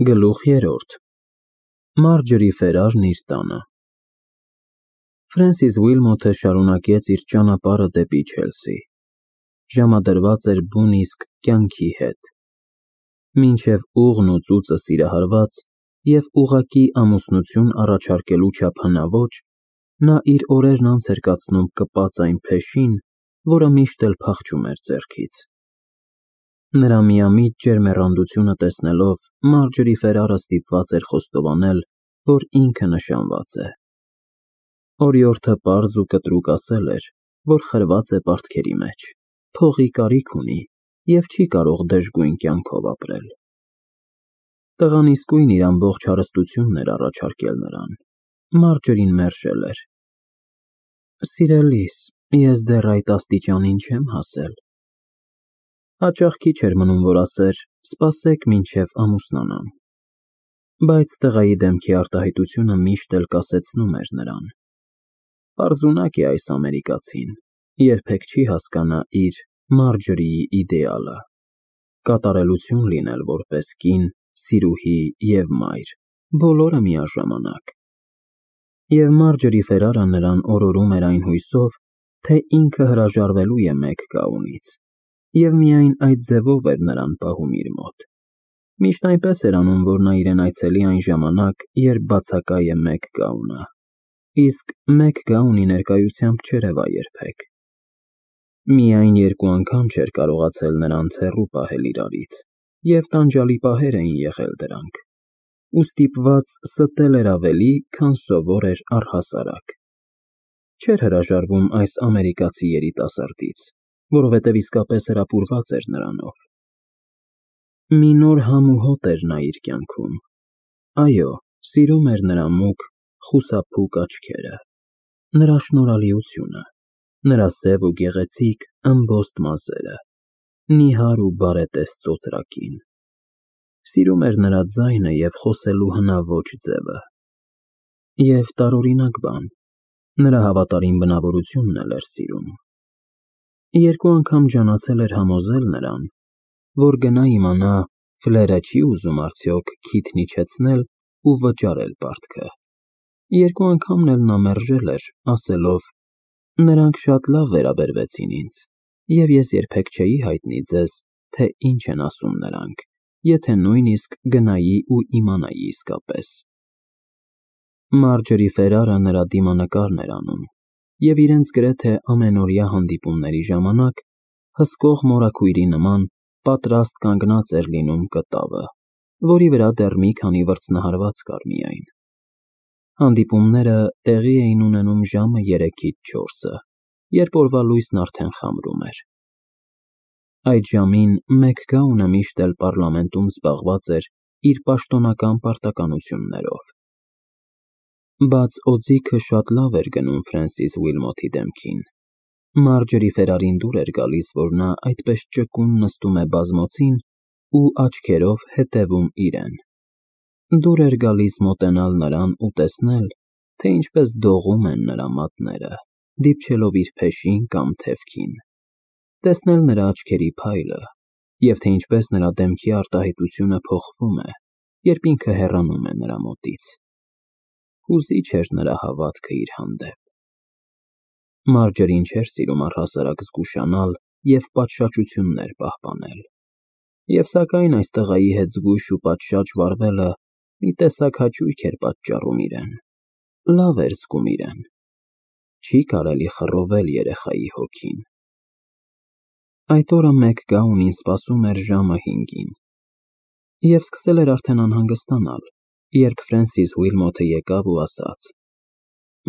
Գլուխ երրորդ Մարջորի Ֆերարն իր տանը Ֆրենսիս Ուիլմոթը շարունակեց իր ճանապարհը դեպի Չելսի։ Ժամադրված էր բուն իսկ կյանքի հետ։ Մինչև ուղն ու ծուծը սիրահարված և ուղղակի ամուսնություն առաջարկելու չափ հնաոճ, նա իր օրերն անց էր կացնում կպած այն փեշին, որը միշտ էլ փախչում էր ձեռքից։ Նրա միամիտ ջերմ եռանդությունը տեսնելով, Մարջորի Ֆերարը ստիպված էր խոստովանել, որ ինքը նշանված է։ Օրիորդը պարզ ու կտրուկ ասել էր, որ խրված է պարտքերի մեջ, փողի կարիք ունի և չի կարող դժգույն կյանքով ապրել։ Տղան իսկույն իր ամբողջ հարստությունն էր առաջարկել նրան։ Մարջորին մերժել էր։ Սիրելիս, ես դեռ այդ աստիճանին չեմ հասել։ Հաճախ քիչ էր մնում, որ ասեր, սպասեք մինչև ամուսնանամ։ Բայց տղայի դեմքի արտահայտությունը միշտ էլ կասեցնում էր նրան։ Պարզունակ է այս ամերիկացին, երբեք չի հասկանա իր Մարջորիի իդեալը, կատարելություն լինել որպես կին, սիրուհի և մայր, բոլորը միաժամանակ։ Եվ Մարջորի Ֆերարը նրան օրորում էր այն հույսով, թե ինքը հրաժարվելու է մեկ գաղունից, և միայն այդ ձևով էր նրան պահում իր մոտ։ Միշտ այնպես էր անում, որ նա իրեն այցելի այն ժամանակ, երբ բացակա է մեկ գաղունը, իսկ մեկ գաղունի ներկայությամբ չերևա երբեք։ Միայն երկու անգամ չէր կարողացել նրանց հեռու պահել իրարից, և տանջալի պահեր էին եղել դրանք, ու ստիպված ստել էր ավելի, քան սովոր էր առհասարակ։ Չէր հրաժարվում այս ամերիկացի երիտասարդից, որովհետև իսկապես հրապուրված էր նրանով։ Մի նոր համ ու հոտ էր նա իր կյանքում։ Այո, սիրում էր նրա մուգ, խուսափուկ աչքերը, նրա շնորհալիությունը, նրա սև ու գեղեցիկ ըմբոստ մազերը, նիհար ու բարետես ծոծրակին։ Սիրում էր նրա ձայնը և խոսելու հնաոճ ձևը։ Եվ տարօրինակ բան, նրա հավատարիմ բնավորությունն էլ էր սիրում։ Երկու անգամ ջանացել էր համոզել նրան, որ գնա իմանա ֆլերը չի ուզում արդյոք քիթն իջեցնել ու վճարել պարտքը։ Երկու անգամն էլ նա մերժել էր, ասելով. «Նրանք շատ լավ վերաբերվեցին ինձ, և ես երբեք չէի հայտնի ձեզ, թե ինչ են ասում նրանք, եթե նույնիսկ գնայի ու իմանայի իսկապես»։ Մարջորի Ֆերարը նրա դիմանկարն էր անում, և իրենց գրեթե ամենօրյա հանդիպումների ժամանակ հսկող մորաքույրի նման պատրաստ կանգնած էր լինում կտավը, որի վրա դեռ մի քանի վրձնահարված կար միայն։ Հանդիպումները տեղի էին ունենում ժամը 3-ից 4-ը, երբ օրվա լույսն արդեն խամրում էր։ Այդ ժամին մեկ գաղունը միշտ էլ պառլամենտում զբաղված էր իր պաշտոնական պարտականություններով։ Բաց օձիքը շատ լավ էր գնում Ֆրենսիս Ուիլմոթի դեմքին։ Մարջորի Ֆերարին դուր էր գալիս, որ նա այդպես ճկուն նստում է բազմոցին ու աչքերով հետևում իրեն։ Դուր էր գալիս մոտենալ նրան ու տեսնել, թե ինչպես դողում են նրա մատները, դիպչելով իր փեշին կամ թևքին, տեսնել նրա աչքերի փայլը, և թե ինչպես նրա դեմքի արտահայտությունը փոխվում է, երբ ինքը հեռանում է նրա մոտից։ Հուզիչ էր նրա հավատքը իր հանդեպ։ Մարջորին չէր սիրում առհասարակ զգուշանալ և պատշաճություններ պահպանել։ Եվ սակայն այս տղայի հետ զգույշ ու պատշաճ վարվելը մի տեսակ հաճույք էր պատճառում իրեն, լավ էր զգում իրեն։ Չի կարելի խռովել երեխայի հոգին։ Այդ օրը մեկ գաղունին սպասում էր ժամը 5-ին, և սկսել էր արդեն անհանգստանալ, երբ Ֆրենսիս Ուիլմոթը եկավ ու ասաց.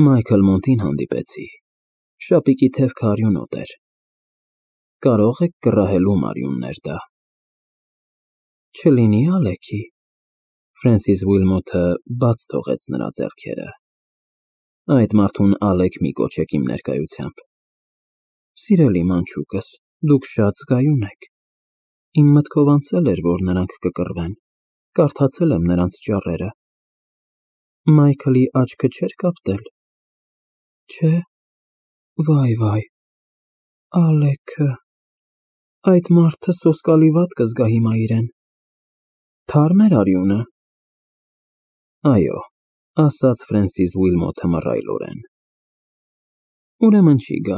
«Մայքլ Մոնտին հանդիպեցի, շապիկի թևքը արյունոտ էր, կարող եք կռահելու մարյունն էր դա»։ Չլինի Ալեքի։ Ֆրենսիս Ուիլմոթը բաց թողեց նրա ձեռքերը։ Այդ մարդուն Ալեք մի կոչեք իմ ներկայությամբ։ Սիրելի մանչուկս, դուք շատ զգայուն եք։ Իմ մտքով անցել էր, որ նրանք կկռվեն, կարդացել եմ նրանց ճառերը։ Մայքլի աչքը չէր կապտել։ Չէ։ Վայ, Ալեքը, այդ մարդը սոսկալի վատ կզգա հիմա իրեն։ Թարմ էր արյունը, Այո, ասաց Ֆրենսիս Ուիլմոթը մռայլորեն։ Ուրեմն չի գա։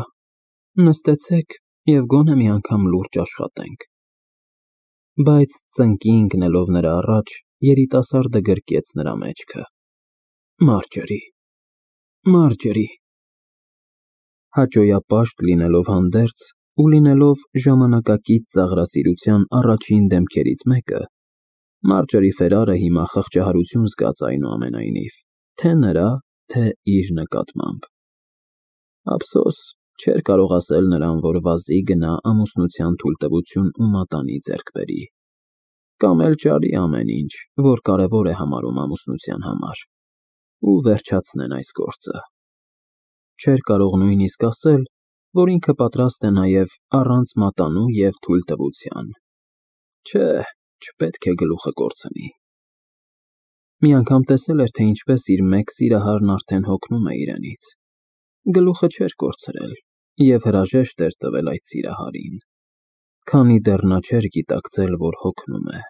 Նստեցեք և գոնե մի անգամ լուրջ աշխատենք։ Բայց ծնկի ընկնելով նրա առաջ, երիտասարդը գրկեց նրա մեջքը։ Մարջորի, Մարջորի։ Հաճոյապաշտ լինելով հանդերձ ու լինելով ժամանակակից ծաղրասիրության առաջին դեմքերից մեկը, Մարջորի Ֆերարը հիմա խղճահարություն զգաց այնուամենայնիվ, թե նրա, թե իր նկատմամբ։ Ափսոս, չէր կարող ասել նրան, որ վազի գնա ամուսնության թույլտվություն ու մատանի ձեռք բերի, կամ էլ ճարի ամեն ինչ, որ կարևոր է համարում ամուսնության համար, ու վերջացնեն այս գործը։ Չէր կարող նույնիսկ ասել, որ ինքը պատրաստ է նաև առանց մատանու և թույլտվության։ Չէ, չպետք է գլուխը կորցնի։ Մի անգամ տեսել էր, թե ինչպես իր մեկ սիրահարն արդեն հոգնում է իրենից։ Գլուխը չէր կորցրել և հրաժեշտ էր տվել այդ սիրահարին, քանի դեռ նա չէր գիտակցել, որ հոգնում է։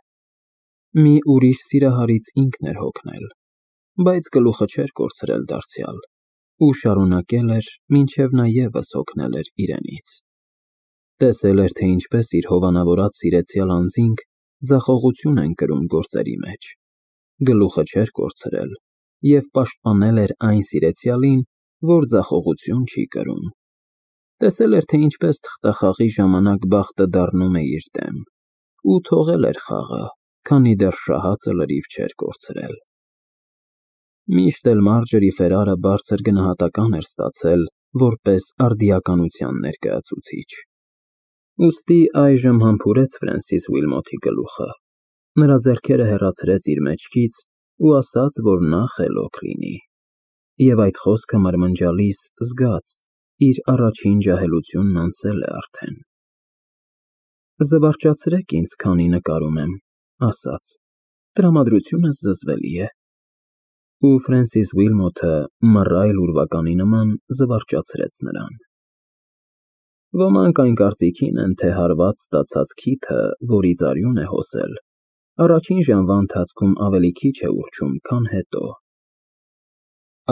Մի ուրիշ սիրահարից ինքն էր հոգնել, բայց գլուխը չէր կորցրել դարձյալ ու շարունակել էր, մինչև նա ևս հոգնել էր իրենից։ Տեսել էր, թե ինչպես իր հովանավորած սիրեցյալ անձինք ձախողություն են կրում գործերի մեջ։ Գլուխը չէր կորցրել և պաշտպանել էր այն սիրեցյալին, որ ձախողություն չի կրում։ Տեսել էր, թե ինչպես թղթախաղի ժամանակ բախտը դառնում է իր դեմ, ու թողել էր խաղը, քանի դեռ շահածը լրիվ չէր կորցրել։ Միշտ էլ Մարջորի Ֆերարը բարձր գնահատական էր ստացել որպես արդիականության ներկայացուցիչ։ Ուստի այժմ համբուրեց Ֆրենսիս Ուիլմոթի գլուխը, նրա ձեռքերը հեռացրեց իր մեջքից ու ասաց, որ նա խելոք լինի։ Եվ այդ խոսքը մրմնջալիս զգաց, իր առաջին ջահելությունն անցել է արդեն։ Զվարճացրեք ինձ, քանի նկարում եմ, ասաց, տրամադրությունս զզվելի է։ Ու Ֆրենսիս Ուիլմոթը մռայլ ուրվականի նման զվարճացրեց նրան։ Ոմանք այն կարծիքին են, թե հարված ստացած քիթը, որից արյուն է հոսել, առաջին ժամվա ընթացքում ավելի քիչ է ուռչում, քան հետո։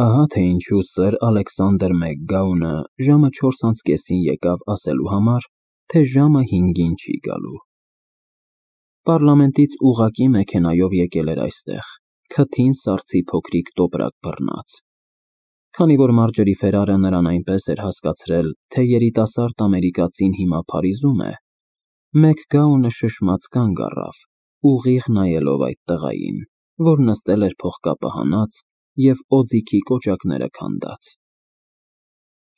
Ահա թե ինչու սըր Ալեքսանդր Մակգաունը ժամը 4:30-ին եկավ ասելու համար, թե ժամը 5-ին չի գալու։ Պառլամենտից ուղղակի մեքենայով եկել էր այստեղ, քթին սառցի փոքրիկ տոպրակ բռնած։ Քանի որ Մարջորի Ֆերարը նրան այնպես էր հասկացրել, թե երիտասարդ ամերիկացին հիմա Փարիզում է, Մակգաունը շշմած կանգ առավ, ուղիղ նայելով այդ տղային, որ նստել էր փողկապը հանած և օձիքի կոճակները քանդած։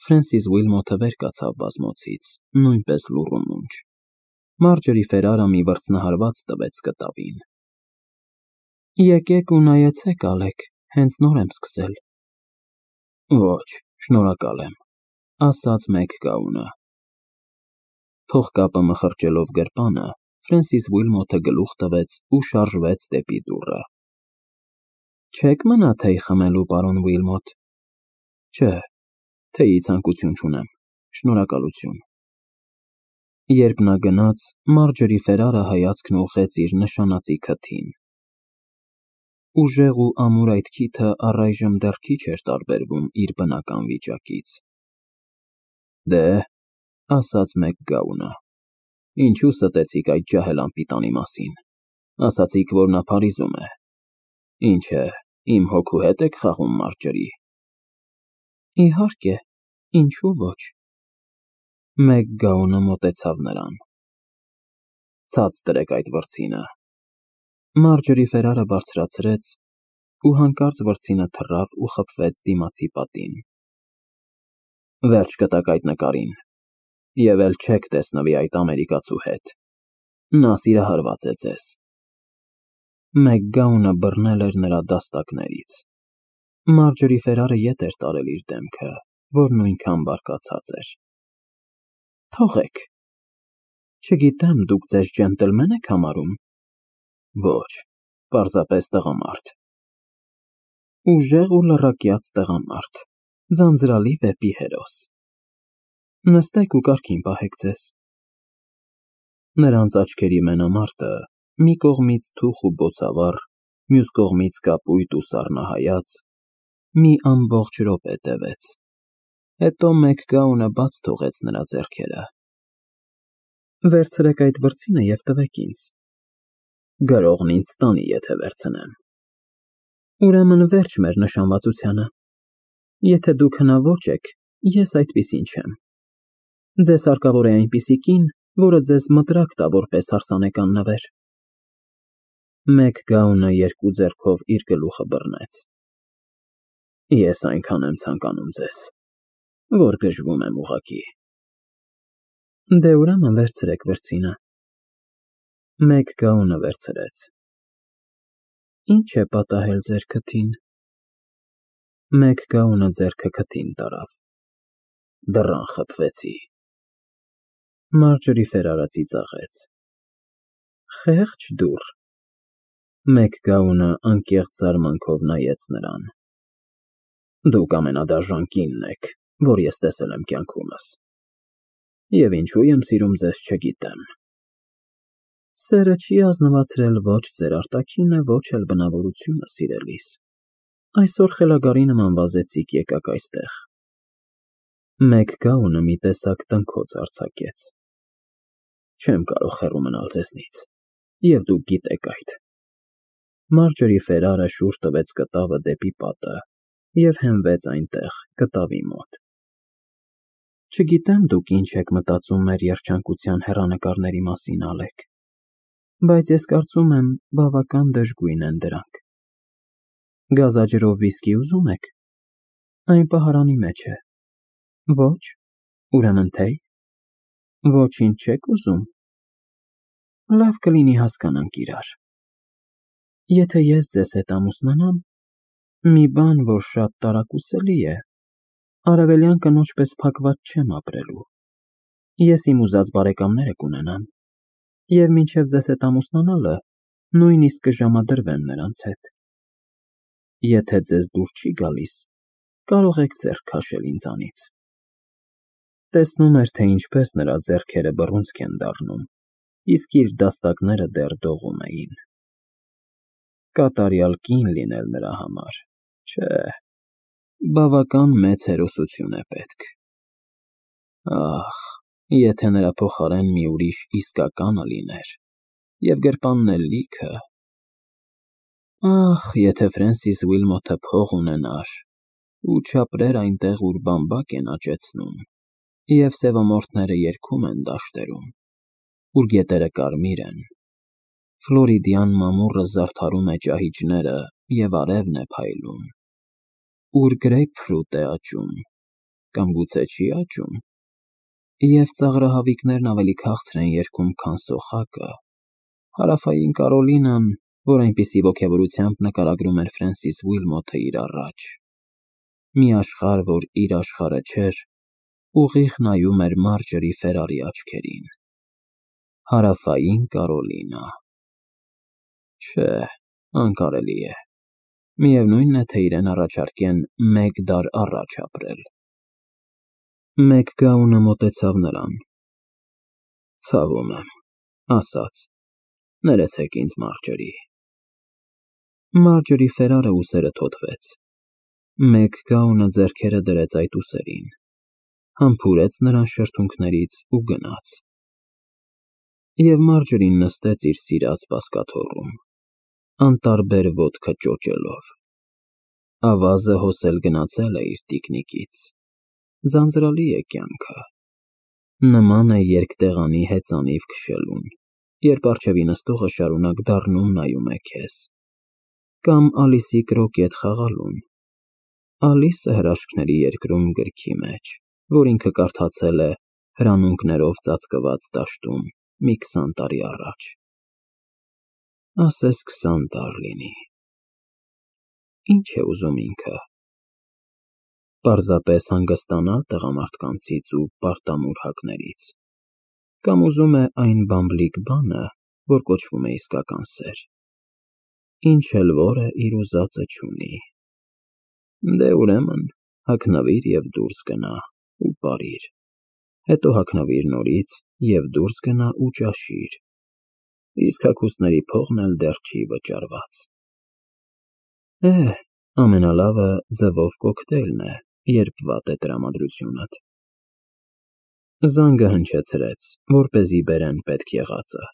Ֆրենսիս Ուիլմոթը վեր կացավ բազմոցից, նույնպես լուռ ու մունջ։ Մարջորի Ֆերարը մի վրձնահարված տվեց կտավին։ Եկեք ու նայեցեք, Ալեք, հենց նոր եմ սկսել։ Ոչ, շնորհակալ եմ, ասաց Մակգաունը։ Փողկապը մխրճելով գրպանը, Ֆրենսիս Ուիլմոթը գլուխ տվեց ու շարժվեց դեպի դուռը։ Չեք մնա թեյ խմելու, պարոն Ուիլմոթ։ Չէ, թեյի ցանկություն չունեմ, շնորհակալություն։ Երբ նա գնաց, Մարջորի Ֆերարը հայացքն ուղղեց իր նշանածի քթին։ Ուժեղ ու ամուր այդ քիթը առայժմ դեռ քիչ էր տարբերվում իր բնական վիճակից։ Դե, ասաց Մակգաունը, ինչու ստեցիք այդ ջահել անպիտանի մասին։ Ասացիք, որ նա Փարիզում է։ Ինչ է, իմ հոգու հետ եք խաղում, Մարջորի։ Իհարկե, ինչու ոչ։ Մակգաունը մոտեցավ նրան։ Ցած դրեք այդ վրձինը։ Մարջորի Ֆերարը բարձրացրեց ու հանկարծ վրձինը թռավ ու խփվեց դիմացի պատին։ Վերջ կտակ այդ նկարին, և էլ չեք տեսնվի այդ ամերիկացու հետ։ Նա սիրահարված է ձեզ։ Մակգաունը բռնել էր նրա դաստակներից։ Մարջորի Ֆերարը ետ էր տարել իր դեմքը, որ նույնքան բարկացած էր։ Թողեք։ Չգիտեմ, դուք ձեզ ջենտլմեն եք համարում։ Ոչ, պարզապես տղամարդ։ Ուժեղ ու լռակյաց տղամարդ, ձանձրալի վեպի հերոս։ Նստեք ու կարգին պահեք ձեզ։ Նրանց աչքերի մենամարտը մի կողմից թուխ ու բոցավառ, մյուս կողմից կապույտ ու սառնահայաց, մի ամբողջ րոպե տևեց, հետո Մեքգաունը բաց թողեց նրա ձեռքերը։ Վերցրեք այդ վրձինը և տվեք ինձ։ Գրողն ինձ տանի, եթե վերցնեմ։ Ուրեմն վերջ մեր նշանվածությանը։ Եթե դուք հնաոճ եք, ես այդպիսին չեմ։ Ձեզ հարկավոր է այնպիսի կին, որը ձեզ մտրակ տա որպես հարսանեկան նվեր։ Մեքգաունը երկու ձեռքով իր գլուխը բռնեց։ Ես այնքան եմ ցանկանում ձեզ, որ գժվում եմ ուղղակի։ Դե ուրեմն վերցրեք վրձինը։ Մեքգաունը վերցրեց։ Ինչ է պատահել ձեր քթին։ Մեքգաունը ձեռքը քթին տարավ։ Դռան խփվեցի։ Մարջորի Ֆերարը ծիծաղեց։ Խեղճ դուռ։ Մեքգաունը անկեղծ զարմանքով նայեց նրան։ Դուք ամենադաժան կինն եք, որ ես տեսել եմ կյանքումս։ Եվ ինչու եմ սիրում ձեզ, չգիտեմ։ Սերը չի ազնվացրել ոչ ձեր արտաքինը, ոչ էլ բնավորությունը, սիրելիս։ Այսօր խելագարի նման վազեցիք եկաք այստեղ։ Մեքգաունը մի տեսակ տնքոց արձակեց։ Չեմ կարող հեռու մնալ ձեզնից, և դուք գիտեք այդ։ Մարջորի Ֆերարը շուռ տվեց կտավը դեպի պատը և հենվեց այնտեղ, կտավի մոտ։ Չգիտեմ դուք ինչ եք մտածում մեր երջանկության հեռանկարների մասին, Ալեք, բայց ես կարծում եմ բավական դժգույն են դրանք։ Գազաջրով վիսկի ուզում եք։ Այն պահարանի մեջ է։ Ոչ, ուրեմն թեյ։ Ոչինչ չեք ուզում։ Լավ կլինի հասկանանք իրար։ Եթե ես ձեզ հետ ամուսնանամ, մի բան, որ շատ տարակուսելի է, արևելյան կնոջ պես փակված չեմ ապրելու։ Ես իմ ուզած բարեկամները կունենամ, և մինչև ձեզ հետ ամուսնանալը նույնիսկ կժամադրվեմ նրանց հետ։ Եթե ձեզ դուր չի գալիս, կարող եք ձեռք քաշել ինձանից։ Տեսնում էր, թե ինչպես նրա ձեռքերը բռունցք են դառնում, իսկ իր դաստակները դեռ դողում էին։ Կատարյալ կին լինել նրա համար, չէ, բավական մեծ հերոսություն է պետք։ Ահ, եթե նրա փոխարեն մի ուրիշ իսկականը լիներ, և գրպանն էլ լիքը։ Ահ, եթե Ֆրենսիս Ուիլմոթը փող ունենար ու չապրեր այնտեղ, ուր բամբակ են աճեցնում, և սևամորթները երգում են դաշտերում, ուր գետերը կարմիր են, Ֆլորիդյան մամուռը զարդարում է ճահիճները և արևն է փայլում, ուր գրեյպֆրուտ է աճում, կամ գուցե չի աճում, և ծաղրահավիկներն ավելի քաղցր են երգում, քան սոխակը, Հարավային Կարոլինան, որ այնպիսի ոգևորությամբ նկարագրում էր Ֆրենսիս Ուիլմոթը իր առաջ, մի աշխարհ, որ իր աշխարհը չէր, ուղիղ նայում էր Մարջորի Ֆերարի աչքերին։ Հարավային Կարոլինա։ Չէ, անկարելի է։ Միևնույնն է, թե իրեն առաջարկեն մեկ դար առաջ ապրել։ Մեքգաունը մոտեցավ նրան։ Ցավում եմ, ասաց. Ներեցեք ինձ, Մարջորի։ Մարջորի Ֆերարը ուսերը թոթվեց։ Մեքգաունը ձեռքերը դրեց այդ ուսերին, համբուրեց նրան շրթունքներից ու գնաց։ Եվ Մարջորին նստեց իր սիրած բազկաթոռում, անտարբեր ոտքը ճոճելով։ Ավազը հոսել գնացել է իր տիկնիկից։ Ձանձրալի է կյանքը։ Նման է երկտեղանի հեծանիվ քշելուն, երբ առջևի նստողը շարունակ դառնում նայում է քեզ, կամ Ալիսի կրոկետ խաղալուն։ Ալիսը հրաշքների երկրում գրքի մեջ, որ ինքը կարդացել է հրանունքներով ծածկված դաշտում մի 20 տարի առաջ։ Ասես 20 տարի լինի։ Ինչ է ուզում ինքը։ Պարզապես հանգստանալ տղամարդկանցից ու պարտամուր հակներից, կամ ուզում է այն բամբլիկ բանը, որ կոչվում է իսկական սեր, ինչ էլ որ է իր ուզածը չունի։ Դե ուրեմն, հագնվիր և դուրս գնա ու պարիր, հետո հագնվիր նորից և դուրս գնա ու ճաշիր, իսկ հագուստների փողն էլ դեռ չի վճարված։ Ամենալավը ձվով կոկտեյլն է, երբ վատ է տրամադրությունդ։ Զանգը հնչեցրեց, որպեսզի բերեն պետք եղածը։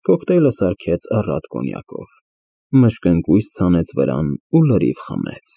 Կոկտեյլը սարքեց առատ կոնյակով, մշկընկույզ ցանեց վրան ու լրիվ խմեց։